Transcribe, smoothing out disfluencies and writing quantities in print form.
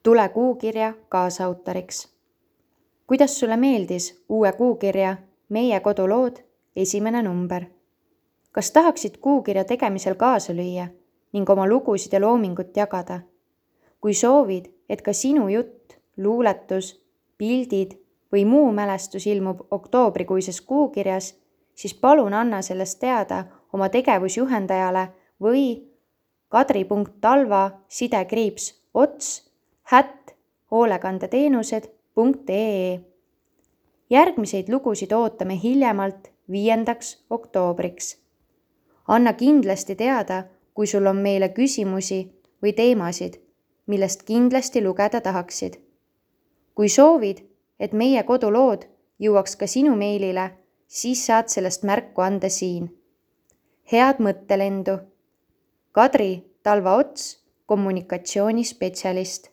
Tule kuukirja kaasautoriks. Kuidas sulle meeldis uue kuukirja Meie kodulood 1. number? Kas tahaksid kuukirja tegemisel kaasa lüüa ning oma lugusid ja loomingut jagada? Kui soovid, et ka sinu jutt, luuletus, pildid või muu mälestus ilmub oktoobrikuises kuukirjas, siis palun anna sellest teada oma tegevusjuhendajale või kadri.talva_ots@hoolekandeteenused.ee. Järgmiseid lugusid ootame hiljemalt 5. oktoobriks. Anna kindlasti teada, kui sul on meile küsimusi või teemasid, millest kindlasti lugeda tahaksid. Kui soovid, et meie kodulood jõuaks ka sinu meilile, siis saad sellest märku anda siin. Head mõttelendu! Kadri Talva Ots, kommunikatsioonispetsialist.